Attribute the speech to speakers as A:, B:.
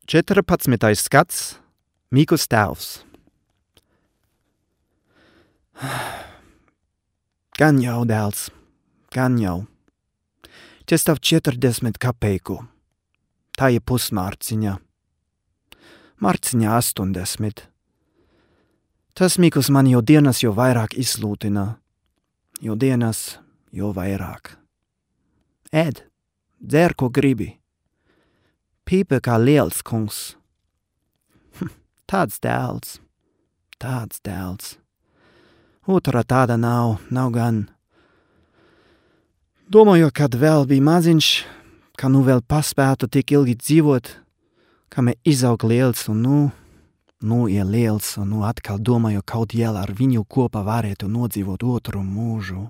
A: 14. skats Mīkus tēvs. Gan jau, dēls, gan jau. Tas tav 40 kapeiku. Tā ir pusmārciņa. Marciņa 80. Tas Mīkus man jau dienas jau vairāk izlūtina. Jo dienas jau vairāk. Ēd, dzer, ko gribi. Pīpe kā liels kungs. Tāds dēls. Otra tāda nav gan. Domāju, kad vēl bija maziņš, ka nu vēl paspētu tik ilgi dzīvot, kamēr izaug liels un nu ir liels un nu atkal domāju, kaut jēl ar viņu kopā varētu nodzīvot otru mūžu.